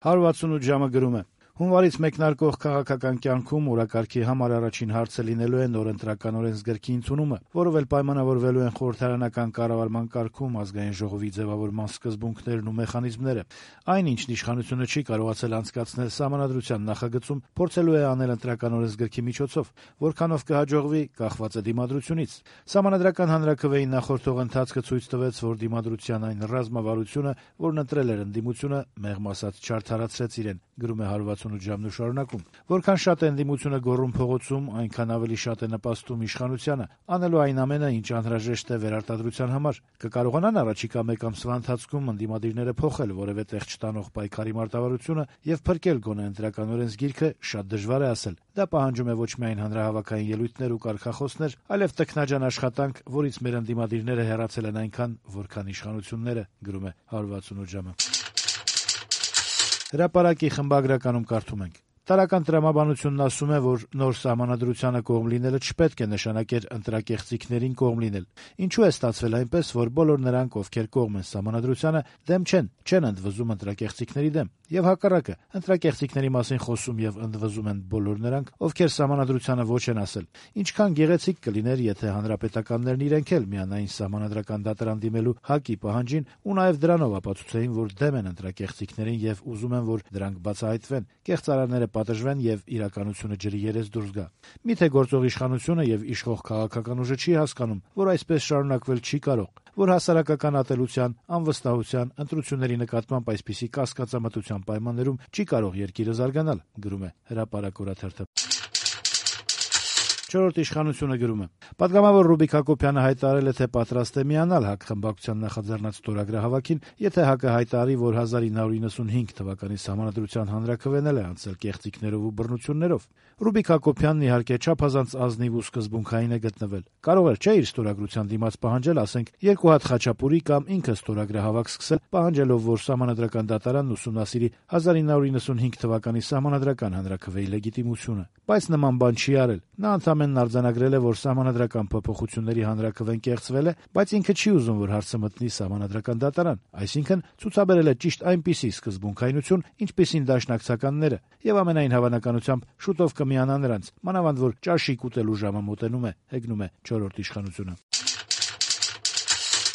168 ժամը գրում է. Հունվարից մեկնարկող քաղաքական կյանքում օրակարգի համար առաջին հարցը լինելու է նոր ընտրական օրենսգրքի ընդունումը, որով էլ պայմանավորվելու են խորհրդարանական կառավարման կարգում ազգային ժողովի ձևավորման սկզբունքներն ու մեխանիզմները։ Այն, ինչն իշխանությունը չի կարողացել անցկացնել Սահմանադրության նախագծում, փորձելու է անել ընտրական օրենսգրքի միջոցով, որքանով կհաջողվի, կախված է դիմադրությունից։ Սահմանադրական հանրաքվեի նախորդող ընթացքը ցույց տվեց, որ դիմադրության այն ռազմավարությունը, որն ընտրել էր ընդդիմությունը, մեղմ ասած չարդարացրեց իրեն, գրում է 168 ժամն ու շարունակում։ Որքան շատ է ընդդիմությունը գոռում փողոցում, այնքան ավելի շատ է նպաստում իշխանությանը, անելու այն ամենը, ինչ անհրաժեշտ է վերարտադրության համար։ Կկարողանան առաջիկա մեկ ամսվա ընթացքում ընդդիմադիրները փոխել որևէ տեղ չտանող պայքարի մարտավարությունը եւ փրկել գոնե ընտրական օրենսգիրքը, շատ դժվար է ասել։ Դա պահանջում է ոչ միայն հանրահավաքային ելույթներ ու կարգախոսներ, այլև տքնաջան աշխատանք, որից մեր ընդդիմադիրները հեռացել են այնքան, որքան իշխանությունները, գրում է 168 ժամը։ Հրապարակի խմբագրականում կարդում ենք. Տարական տրամաբանությունն ասում է, որ նոր սահմանադրությանը կողմ լինելը չպետք է նշանակեր ընտրակեղծիքներին կողմ լինել։ Ինչու է ստացվել այնպես, որ բոլոր նրանք, ովքեր կողմ են սահմանադրությանը, դեմ չեն ընդվզում ընտրակեղծիքների դեմ, եւ հակառակը, ընտրակեղծիքների մասին խոսում եւ ընդվզում են բոլոր նրանք, ովքեր սահմանադրությանը ոչ են ասել։ Ինչքան գեղեցիկ կլիներ, եթե հանրապետականներն իրենք էլ միանային սահմանադրական դատարան դիմելու ՀԱԿ-ի պահանջին ու նաեւ դրանով ապացուցեին, որ դեմ են ընտրակեղծիքներին եւ ուզում են, որ դրանք բացահայտվեն, կեղծարարները պատժվեն եւ իրականությունը ջրի երես դուրս գա։ Միթե գործող իշխանությունը եւ իշխող քաղաքական ուժը չի հասկանում, որ այսպես շարունակվել չի կարող, որ հասարակական ատելության, անվստահության, ընտրությունների նկատմամբ այսպիսի կասկածամտության պայմաններում չի կարող երկիրը զարգանալ, գրում է Հրապարակ օրաթերթը։ Չորրորդ իշխանությունը գրում է. Պատգամավոր Ռուբիկ Հակոբյանը հայտարարել է, թե պատրաստ է միանալ ՀԱԿ խմբակցության նախաձեռնած ստորագրահավաքին, եթե ՀԱԿ-ը հայտարարի, որ 1995 թվականի Սահմանադրության հանրաքվեն է անցել կեղծիքներով ու բռնություններով։ Ռուբիկ Հակոբյանն իհարկե չափազանց ազնիվ ու սկզբունքային է գտնվել։ Կարող էր չէ իր ստորագրության դիմաց պահանջել, ասենք, 2 հատ խաչապուրի կամ ինքը ստորագրահավաք սկսել, պահանջելով, որ Սահմանադրական դատարանն ուսումնասիրի 1995 թվականի Սահմանադրական հանրաքվեի լեգիտիմությունը։ Բայց նման բան չի արել։ Նա ընդամենն արձանագրել է, որ Սահմանադրական փոփոխությունների հանրաքվեն կեղծվել է, բայց ինքը չի ուզում, որ հարցը մտնի Սահմանադրական դատարան, այսինքն ցուցաբերել է ճիշտ այնպիսի սկզբունքայնություն, ինչպիսին դաշնակցականները, եւ ամենայն հավանականությամբ շուտով կմիանա նրանց, մանավանդ որ ճաշիկ ուտելու ժամը մոտենում է, հեգնում է 4-րդ իշխանությունը։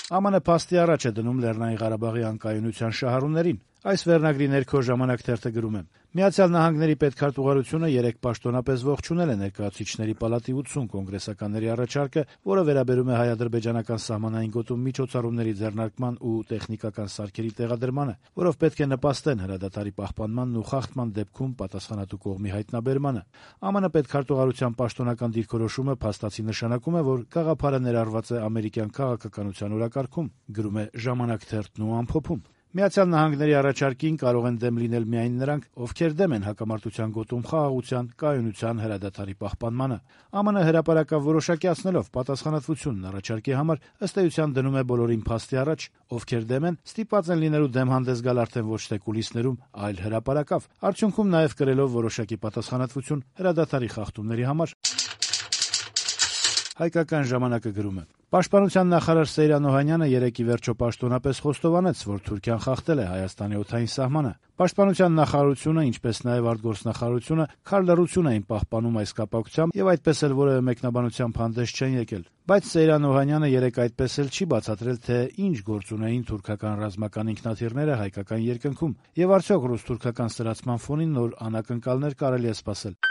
ԱՄՆ փաստի առաջ է դնում Լեռնային Ղարաբաղի անկայունության շահառուներին։ Այս վերնագրի ներքո Ժամանակ թերթը գրում է. Միացյալ Նահանգների պետքարտուղարությունը 3 պաշտոնապես ողջունել է ներկայացուցիչների պալատի 80 կոնգրեսականների առաջարկը, որը վերաբերում է հայ-ադրբեջանական սահմանային գոտում միջոցառումների ձեռնարկման ու տեխնիկական սարքերի տեղադրմանը, որով պետք է նպաստեն հրադադարի պահպանմանն ու խախտման դեպքում պատասխանատու կողմի հայտնաբերմանը։ ԱՄՆ պետքարտուղարության պաշտոնական դիրքորոշումը փաստացի նշանակում է, որ գաղափարը ներառված է ամերիկյան քաղաքականության օրակարգում, գրում է Ժամանակ թերթն ու ամփոփում։ Միացյալ Նահանգների առաջարկին կարող են դեմ լինել միայն նրանք, ովքեր դեմ են հակամարտության գոտում խաղաղության, կայունության, հրադադարի պահպանմանը։ ԱՄՆ հրապարակավ որոշակիացնելով պատասխանատվությունն առաջարկի համար, ըստ էության դնում է բոլորին փաստի առաջ, ովքեր դեմ են, ստիպված են լինելու դեմ հանդես գալ արդեն ոչ թե կուլիսներում, այլ հրապարակավ, արդյունքում նաև կրելով որոշակի պատասխանատվություն հրադադարի խախտումների համար։ Հայկական ժամանակը գրում է. Պաշտպանության նախարար Սեյրան Օհանյանը երեկ ի վերջո պաշտոնապես խոստովանեց, որ Թուրքիան խախտել է Հայաստանի օդային սահմանը։ Պաշտպանության նախարարությունը, ինչպես նաև արտգործնախարարությունը քարլռություն էին պահպանում այս կապակցությամբ եւ այդպես էլ որևէ մեկնաբանությամբ հանդես չեն եկել։ Բայց Սեյրան Օհանյանը երեկ այդպես էլ չի բացատրել, թե ինչ գործ ունեին թուրքական ռազմական ինքնաթիռները հայկական երկնքում եւ արդյոք ռուս-թուրքական սրացման ֆոնին նոր անակնկալներ կարելի է սպասել։